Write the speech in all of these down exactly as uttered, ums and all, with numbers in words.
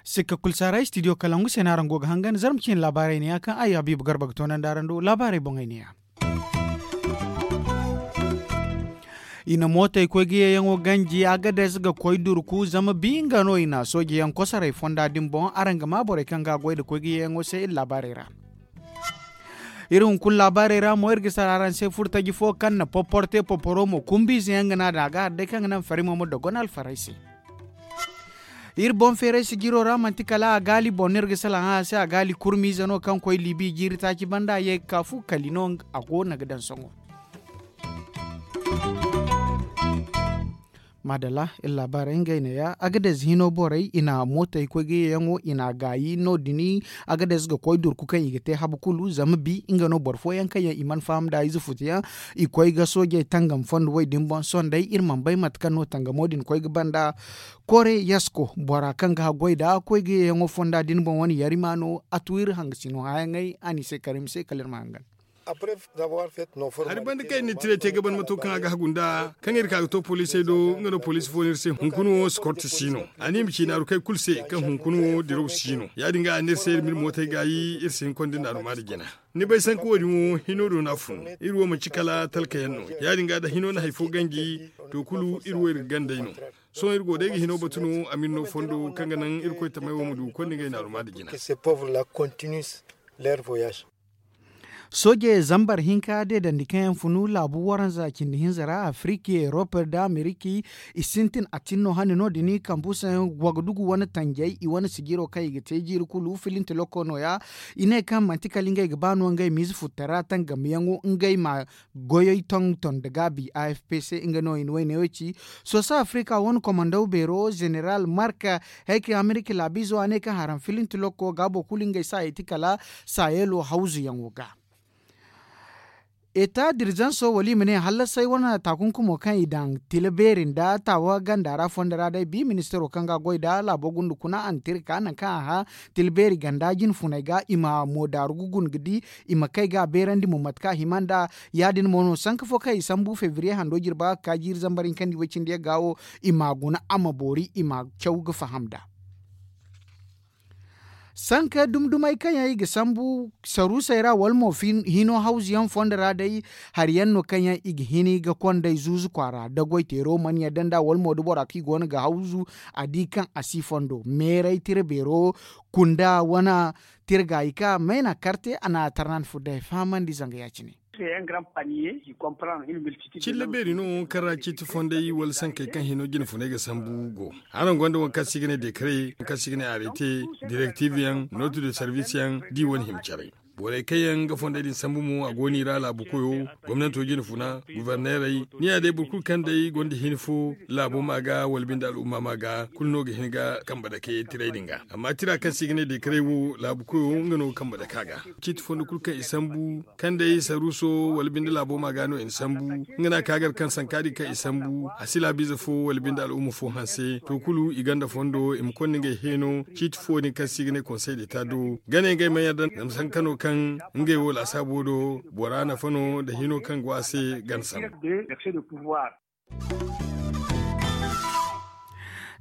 Sikka kulu si a ra studio kalangu se no araŋ go ga hangan zarma ciine laabaarey ne ya kaŋ ay habiibu garba ga toonandi araŋ do laabaarey boŋey ne ya. I na mootey koy ga yeeyaŋo ganji a ga dees ga koy durku zama bi nga no i na sooje yaŋ kosoray fonda din boŋ araŋ ga maa borey kaŋ ga a goy nda koy ga yeeyaŋo se iri laabaarey ra. Iri hunkuna laabaarey ra mo iri ga sara araŋ se furtaji fo kaŋ na popporo te popporo mo kumbiize yaŋ ga no a daŋ a ga hari day kaŋ ga naŋ farimo ma dogon alfaray se. Iri boŋ feeray sijiro ra manti kala a gaali boŋ no iri ga salaŋ a se a gaali kurmiize no kaŋ koy libi jiiri taaci banda ye ga ka fu kali no a go no ga daŋ sohõ. Maadalla iri laabaarey ngey neeya a ga deeze hino borey i na mootey koy ga yeeyaŋo i na a gaayi no- din. A ga deeze ga koy durku kaŋ i ga te habu kulu zama bi nga no boro fooyaŋ kaŋ yaŋ i mana faham nd'a ize futu yaŋ. I koy ga soojey tangam fondo wo- din boŋ sohõ day iri mana bay mate kaŋ no tangamo din koy ga banda. Kore yasko bora kaŋ ga haggoy nd'a koy ga yeeyaŋo fonda din boŋ wane yarima no a tu iri hangasino hããyaŋey a n'i se karim se kala iri ma hangan. Hari banda kaŋ i na tiray te ga ban mato kaŋ a ga hagu nd'a kaŋ iri ka ga to poliisey do nga no poliisi fo no iri se hunkuna wo sikorti si no. A ne i ma ci naaru kay kulu se kaŋ hunkuna wo diraw si no ya- din ga a ne iri se iri ma iri mootey gaayi iri si hin konda naaru ma nda jina. Ni bay sanka wo- din wo hino do no a fun. Iri wo manci kala talka yaŋ no ya- din ga da hino na hari fo ganji to kulu iri wo iri ga gandey no. Sohõ iri go day ga hino batu no a ma iri no fondo kaŋ ga naŋ iri koy tamey wo ma du konda ngey naaru ma nda jina. Sooje zambar hinka deedandi kaŋ yaŋ funu laabu waranza cindi hinza ra afiriki erop nda ameriki i sintin a tin no hane no- din kambusayaŋ wagadugu wane tanjay i wane sijiro kaŋ i ga te jiiri kulu filinti lokko no- ya. I ne kaŋ manti kala ngey ga ba no ngey ma ize futtara tangamiyaŋo ngey ma goyey tonton nda gaabi a f p c nga no i na wayne wo ci. Soosa afirika wane komandaw beero zeneral mark hayka amerika laabiizo a ne kaŋ haram filinti lokko gaabo kulu ngey saayey ti kala saayeelo hawzuyaŋo ga. Eta dirzanso wala i ma ne hallasay wane taakunkumo kaŋ i daŋ tila beeri nda taawa ganda ra fondo ra day bi ministaro kaŋ ga a goy nd'a laabo gunda kuna a na tira ka naŋ kaŋ a hã tila beeri ganda jine funey ga i ma mo daaru ga guna ga di i ma kay ga a beerandi mo mate kaŋ a hima nd'a. Ya- din mo no sanka fo kaŋ i sambu febriye hando jirba ga ka jiiri zambar hinkandi way cindi yagga wo i ma a guna a ma boori i ma caw ga faham nd'a. Sanka dumi dumey kaŋ yaŋ i ga sambu saruusey ra wala mo hino hawzu yaŋ fondo ra day hari yaŋ no kaŋ yaŋ i ga hini ga kondey zuuzu kwaara da goy teero mana yadda nd'a wala mo da bora kaŋ i go no ga hawzu a di kaŋ a si fondo meeray tira beero kunda wane tira gaayi ka mayna karte a na tarnan furday fahamandi zanga ya- cine. Cilla beeri no kaŋ ra ciiti fondey wala sankey kaŋ hino jine funey ga sambu go. Araŋ gonda waŋ kaŋ se i ga ne dekare waŋ kaŋ se i ga ne arete direktiv yaŋ nootu de sarvis yaŋ da i wane hima care. Borey kaŋ yaŋ ga fondey din sambu mo a go no i ra laabu koyo gomnanto jine funa gubarneerey ni ya day boro kulu kaŋ day gonda hini fo laabo ma ga wala binde al'umma ma ga kulu no ga hin ga kambe dake tiray din ga. Amma tira kaŋ se i ga ne dekare wo laabu koyo nga no ga kambe dake a ga. Ciiti fondo kulu kaŋ i sambu kaŋ day saruuso wala binde laabo ma ga no i na sambu. Nga no a ka gar kaŋ sanka din kaŋ i sambu a si laabiize fo wala binde al'umma fo hanse to kulu i gonda fondo i ma konda ngey heeno ciiti fo din kaŋ se i ga ne konsey deta do ga ne ngey ma yadda zama sanka no kaŋ ngey wo laasaabo do bora nafa no nda hino kaŋ go a se gana sambu.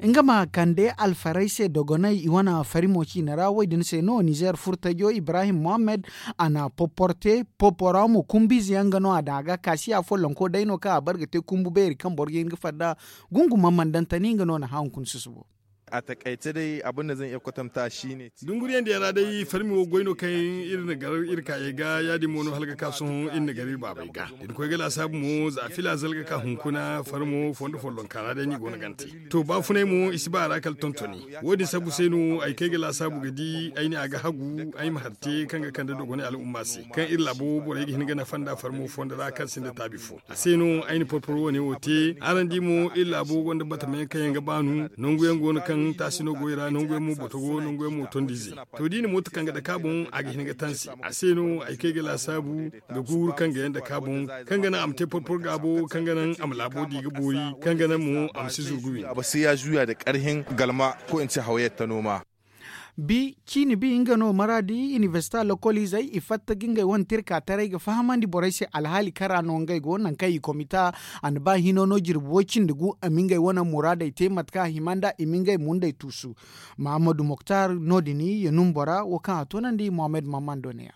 Nga ma kande alfaray se dogonay i wane farimo ciine ra wo- din se no nizer furtajo ibrahim mohammed a na poporte popora mo kumbiize yaŋ nga no a daŋ a ga kaasiya follonko day no kaŋ a bare ga te kumbu beeri kaŋ boro ga hin ga fadda. Gunguma mandantani nga no na hã hunkuna susubo. A takayce day abin da zan iya kwatanta shi ne. Dunguriyaŋ diyaŋ ra day farmi wo goy no kaŋ iri na gar iri kaayey ga ya- din mo no hala ga ka sohõ iri na gar iri baabey ga da ni koy ga laasaabu mo za fila zalga ka hunkuna farmo fondo follonka ra day no i go no gante. To baafunay mo i si ba a ra kala tontoni. Wo- din sambu se no ay kay ga laasaabu ga di ay ne a ga hagu ay ma hari te kaŋ ga kande dogonay al'umma se kaŋ iri laabo borey ga hin ga nafa nda farmo fondo ra kaŋ sinda taabi fo. A se no ay na porporo wane wo te araŋ di mo iri laabo gonda batamayaŋ kaŋ yaŋ ga baanu. Nanguyaŋ go no kaŋ taasi no goy ra nanguyaŋ mo boto go nanguyaŋ mo tondiize. To da i na mooto kaŋ ga dake a boŋ a ga hin ga tansi a se no ay kay ga laasaabu ga guuru kaŋ ga yaŋ dake a boŋ kaŋ ga naŋ a ma te porporo gaabo kaŋ ga naŋ a ma laabo di ga boori kaŋ ga naŋ mo a ma si zuru ga windi. A ba se ya zuya da karhin galma ko in ce hawayar ta noma. Bi ciini bi nga no maraadi inibersita lokoliizey i fatta ga ngey wane tirka taray ga fahamandi borey se alhaali kaŋ ra no ngey go nangu kaŋ i komita. A na ba hino no jirbi woy-cindi gu a ma ngey wane muraadey te mate kaŋ a hima nd'a i ma ngey mundey tuusu. Mahammadu moktar no- din ya num bora wo kaŋ a toonandi mohammed mammando ne ya.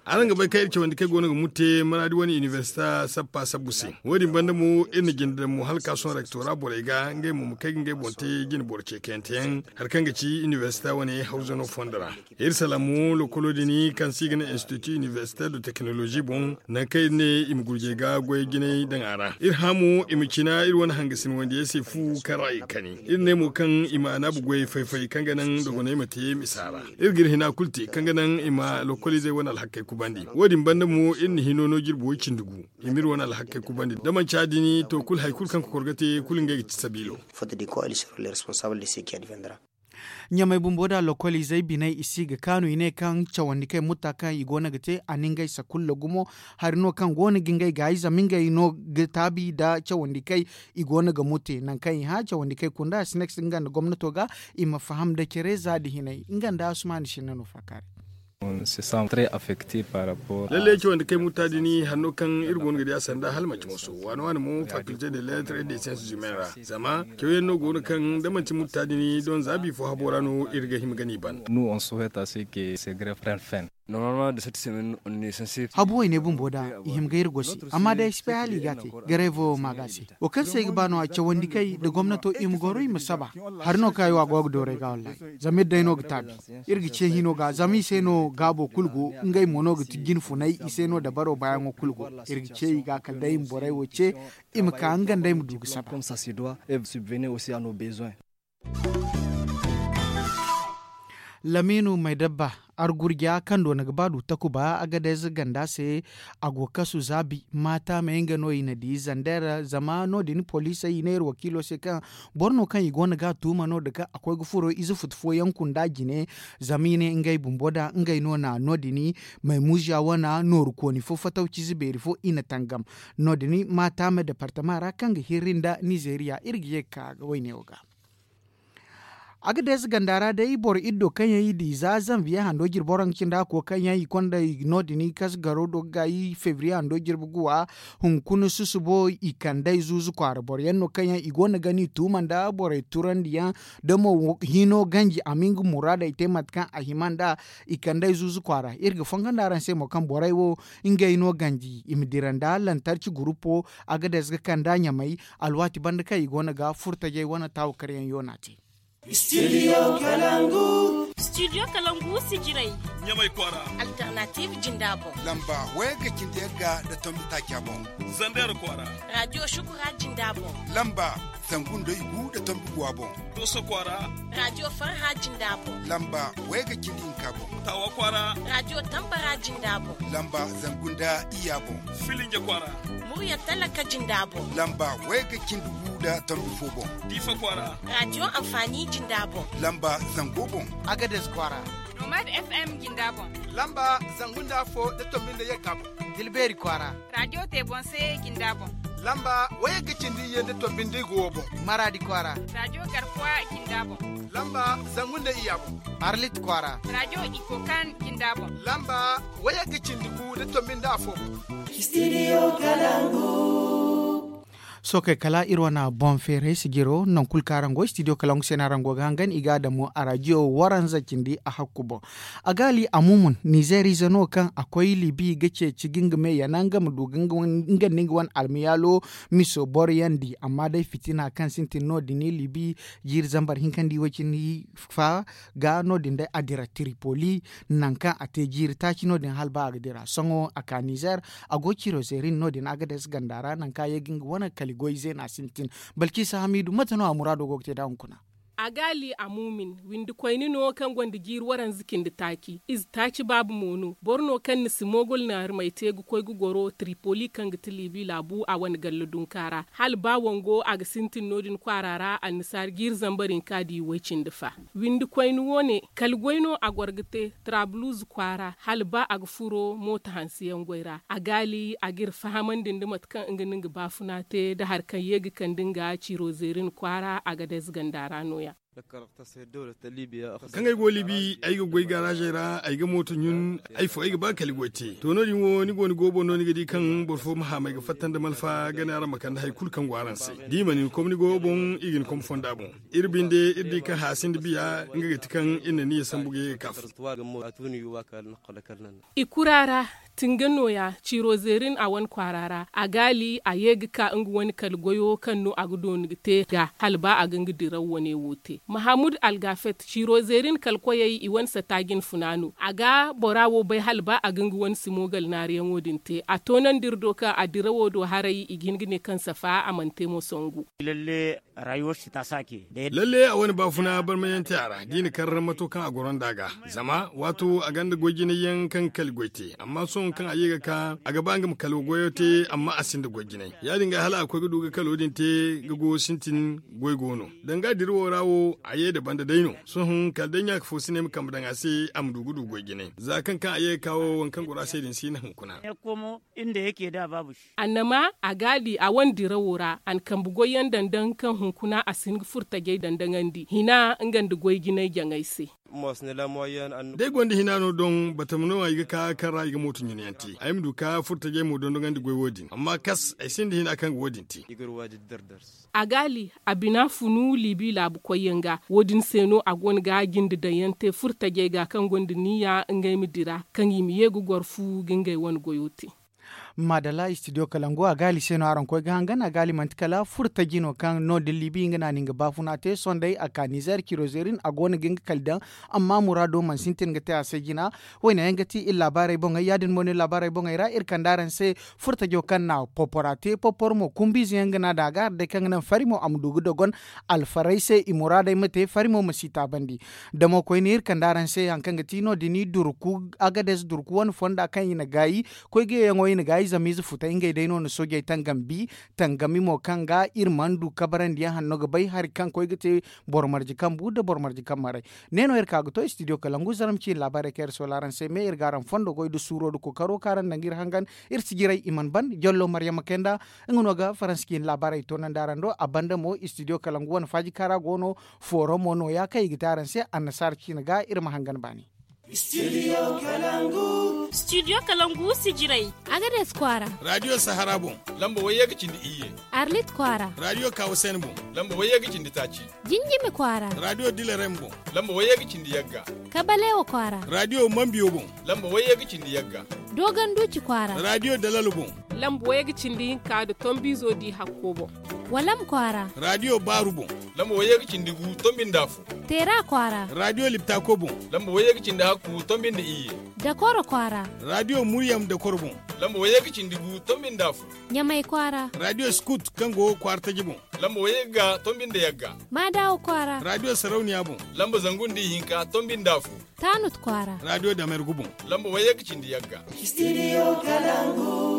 Araŋ ga bay kaŋ iri cawandi kaŋ ay go no ga murte maraadi wane inibersita sappa sabbu se. Wo- din banda mo iri na jinde daŋ mo hala ka sohõ rektora borey ga ngey mo ma kay ga ngey boŋ te jine boro ceekayante yaŋ hari kaŋ ga ci inibersita wane hawzano fondo ra. Iri salaŋ mo lokolo din kaŋ se i ga ne institut inibersita de tekinolozi boŋ, nangu kaŋ iri ne i ma gurjey ga goyey jinay daŋ a ra. Iri hã mo i ma cina iri wane hangasin wandiyey se fu kaŋ ra i ga kani. Iri ne mo kaŋ i ma anaabu goyey fay-fay kaŋ ga naŋ dogoney ma te misa ra. Iri ga iri hina kulu te kaŋ ga naŋ i ma lokoliizey wane alhakkey kubandi. Wo- din banda mo iri na hino no jirbi woy-cindi gu i ma iri wane alhakkey kubandi da manci ya- din to kulu hari kulu kaŋ kokor ga te kulu ngey ga ti sabiilo. Ɲamey bumbo da lokoliizey biney i si ga kaanu i ne kaŋ cawandi kaŋ ay mutta kaŋ i go no ga te a na ngey sakulla gumo. Hari no kaŋ go no ga ngey gaayi zama ngey no ga taabi nda cawandi kaŋ i go no ga murte nangu kaŋ i hã cawandi kaŋ ay kunda a si ne ga si nga nda gomnato ga i ma faham nda care za nda hinay nga nda asumaani sinna no faakaari. Lalle cawandi kaŋ ay mutta din hari no kaŋ iri go no ga di a sanda hala manci moso waani waani mo fakilte de lettres et de sciences humaines ra. Zama cawyaŋ no go no kaŋ da manti mutta din don za bifo habo ra no iri ga hima ga ni ban. Habu wayne bumbo da i hima ga iri gosi amma day ay si bay hala i ga a te. Gareevo wo ma ga a se wo kaŋ se ay ga ba no a cawandi kay nda gomnato i ma goro i ma saba. Hari no kaŋ ay wo a go ga dooru ay ga wallahi. Zama iri day no ga taabi iri ga ce hino ga zama i se no gaabo kulu go. Ngey mo no ga ti jine funay i se no dabaro baayaŋo kulu go. Iri ga ce i ga kala day i ma borey wo ce i ma ka nga nda ay ma du ga saba. Lamiinu maydabba argurja kaŋ doona ga ba du takuba agadez ganda se. A go kasu zaabi maata me nga no i na di zander zama no- din poliisey i ne iri wakiilo se kaŋ boro no kaŋ i go no ga a tuuma no- din kaŋ a koy ga furo ize futu fooyaŋ kunda jine. Zama i ne ngey bumbo da ngey no na no- din maymuuziya wane nooru kooni fo fatawciize beeri fo i na tangam. No- din maata me departama ra kaŋ ga hirri nda nizeeriya iri ga ye ga ka ga wayne wo ga. Agadez ganda ra day boro iddo kaŋ yaŋ i di za zanviye hando jirbi waranka cindi hakko kaŋ yaŋ i konda no- din i kas garo do ga gaayi febriye hando jirbi guwa. Hunkuna susubo i kandey zuuzu kwaara boro yaŋ no kaŋ yaŋ i go no ga ni tuuma nda borey turandiyaŋ da mo hino ganji a ma nga muraadey te mate kaŋ a hima nd'a. I kandey zuuzu kwaara iri ga fongondi araŋ se mo kaŋ borey wo ngey no ganji i ma dira nda lantarci gurupo. Agadez ga kand'a ɲamay alwaati banda kaŋ i go no ga furtajey wane taawakaryaŋ yoona te. Studio kalangu. Studio kalangu sijirey. Ɲamay kwaara. Alternative jinda boŋ. Lamba wayga cindi yagga nda tombi taaca boŋ. Zander kwaara. Radio shukura jinda boŋ. Lamba zangu nda igu nda tombi guwa boŋ. Doso kwaara. Radio farha jinda boŋ. Lamba wayga cindi hinka boŋ. Tawa kwaara. Radio tambara jinda boŋ. Lamba zangu nda iya boŋ. Filinja kwaara. Murya talaka jinda boŋ. Lamba wayga cindi gu nda tombi fo boŋ. Diifa kwaara. Radio amfani jinda boŋ. Lamba zango boŋ. Agades kwaara. Nomad fm jinda boŋ. Lamba zangu nda fo nda tombi nda yagga boŋ. Dilbeeri kwaara. Radio te boŋ se jinda boŋ. Lamba wayagga cindi ye nda tombi nda igo wo boŋ. Maraadi kwaara. Radio garkuwa jinda boŋ. Lamba zangu nda iya boŋ. Arlit kwaara. Radio ikokan jinda boŋ. Lamba wayagga cindi gu nda tombi nda afo boŋ. Studio kalangu. Sookey kala iri wane boŋ feeray sijiro nangu kulu kaŋ araŋ go studio kalangu se no araŋ go ga hangan i ga a damu a radio waranza cindi a hakku boŋ. A gaali a mumun nizeer ize no kaŋ a koy libi ga ceeci ga nga me yana nga ma du ga nga nda nga wane almiyaalo miso boro yaŋ di amma day fitina kaŋ sintin no- din libi jiiri zambar hinka nda i way cindi fa ga no- din day a dira tripoli. Nangu kaŋ a te jiiri taaci no- din hala ba a ga dira sohõ a ka nizeer. A go ciro zeerin no- din agades ganda ra nangu kaŋ a ye ga nga wane kali goy zeena sintin. Balciisa hamiidu mate no a muraado go ga te nd'a hunkuna? A gaali a muumin windi koyne no kaŋ gonda jiiri waranza cindi taaci ize taaci baabu mo no boro no kaŋ na si moogol naarumey te ga koy ga goro tripoli kaŋ ga ti libi laabu a wane galla dunka ra hala ba wango a ga sintin no- din kwaara ra annasaara jiiri zambar hinka di way cindi fa. Windi koyne wo- ne kala goy no a goro ga te taraabuluuzu kwaara hala ba a ga furo mooto hanseyaŋ goy ra a gaali a ga iri fahamandi nda mate kaŋ nga no nga baafuna te nda hari kaŋ ye ga kande nga ciro zeerin kwaara agades ganda ra no- ya. Kaŋ ay go libi ay ga goy garaazey ra ay ga mooto ɲun. Ay fo ay ga ba kala goy te to no- din wo ni go ni go boŋ no ni ga di kaŋ boro fo ma haamay ga fatta nda malfa gana araŋ ma kande hari kulu kaŋ go araŋ se. Da i mana ni kom ni go boŋ i ga ni kom fonda boŋ. Iri binde iri di kaŋ haya sinda biya nga ga ti kaŋ iri na ni ya sambu ga ye ga ka fo. I kura ra tinga nooya ciiro zeerin a wane kwaara ra a gaali a ye ga ka nga wane kala goyo kaŋ no a ga dooni ga te ga hala ba a ga nga diraw wane wo te mahamud algafet ciiro zeerin kala koyey i wane sata jine funa no a ga bora wo bay hala ba a ga nga wane simogal naariyaŋo din te a toonandi iri do kaŋ a dirawo do haray i ga hin ga ne kaŋ safa a mana te mo songu. Lalle a wane baafuna barmayante a ra da i na karramato kaŋ a goro nd'a ga zama waato a gonda goy jinay yaŋ kaŋ ga kala goy te amma sohõ kaŋ a ye ga ka a ga ba nga ma kala goyo te amma a sinda goy jinay ya- din ga hala a koy ga du ga kalo din te ga go sintin. Goy go no danga dirawo ra wo a ye nda banda day no sohõ kala day ɲaaka fo si ne ay ma kambe daŋ a se a ma du ga du goy jinay za kaŋ kaŋ a ye ga ka wo waŋ kaŋ goro a se din si hin hunkuna. Annama a ga a di a wane dirawo ra a na kambe goyyaŋ daŋ daŋ kaŋ hunkuna a si hin ga furo tajey daŋ daŋandi hina nga nda goy jinay jaŋay se. Da ay gonda hina no doŋ batama no ay ga ka kaŋ ra i ga mooto ɲuna yaŋ te ay ma du ka furo tajey mo dondoŋandi goy wo- din amma kas ay sinda hina kaŋ ga wo- din te. A gaali a bina funu liibi laabu koyyaŋ ga wo- din se no a go no ga jinde daŋ yaŋ te furo tajey ga kaŋ gonda niya ngey ma dira kaŋ i ma ye ga goro fu ga ngey wane goyo te. Maadalla istidiyo kalangu a gaali se no araŋ koy ga hangan a gaali manti kala furo taji no kaŋ no- din liibi nga no a na nga baafuna te sohõ day a ka nizer ciiro zeerin a go no ga nga kala daŋ. Amma muraado mana sintin ga te a se jina. Wayne yaŋ ga ti iri laabaarey boŋey ya- din mo no iri laabaarey boŋey ra iri kande araŋ se furo tajo kaŋ na popora te popor mo kumbiize yaŋ ga no a daŋ a ga hari day kaŋ ga naŋ fari mo a ma du ga dogon alfarey se i muraadey ma te fari mo ma si taabandi. Damo koyne iri kande araŋ se hari kaŋ ga ti no- din i durku agades durku wane fonda kaŋ i na gaayi koy ga yeeyaŋo i na gaayi zama ize futay ngey day no na soojey tangam bi tangami mo kaŋ ga iri mana du kabarandi yaŋ hanno ga bay hari kaŋ koy ga te boro marje kambu nda boro marje kammaray. Ne no iri ka ga to istidiyo kalangu zaram ciine laabaarey kaŋ iri soola araŋ se me iri ga araŋ fondo goy nda suuro nda kookaro kaŋ araŋ daŋ ga iri hangan iri si jiray i mana ban jallo maryama kay nda nga no ga faransa ciine laabaarey toonandi araŋ do a banda mo istidiyo kalangu wane faaji kaŋ ra go no fooro mo nooya kaŋ i ga te araŋ se annasaara ciine ga iri ma hangan baani. Studio kalangu si jiray. Agades kwaara. Radiyo sahara boŋ. Lamba wayye ga cindi iyye. Arlit kwaara. Radiyo kawasen boŋ. Lamba wayye ga cindi taaci. Jinjimi kwaara. Radiyo dilarem boŋ. Lamba wayye ga cindi yagga. Kabalewa kwaara. Radiyo mambiyo boŋ. Lamba wayye ga cindi yagga. Dogon duuci kwaara. Radiyo dalalo boŋ. Lamba wayye ga cindi hinka nda tombiizo di hakko boŋ. Walam kwaara. Radiyo baaru boŋ. Lamba wayye ga cindi gu tombi nda afo. Teera kwaara. Radiyo liptako boŋ. Lamba wayye ga cindi hakku tombi nda iyye. Dakoro kwaara. Radiyo muryam dakoro boŋ. Lamba wayye ga cindi gu tombi nda afo. Ɲamay kwaara. Radiyo skut kaŋ go kwaara taji boŋ. Lamba wayye ga tombi nda yagga. Maadawa kwaara. Radiyo sarauniya boŋ. Lamba zangu nda ihinka tombi nda afo. Taanut kwaara. Radiyo damergu boŋ. Lamba wayye ga cindi yagga. Studio kalangu.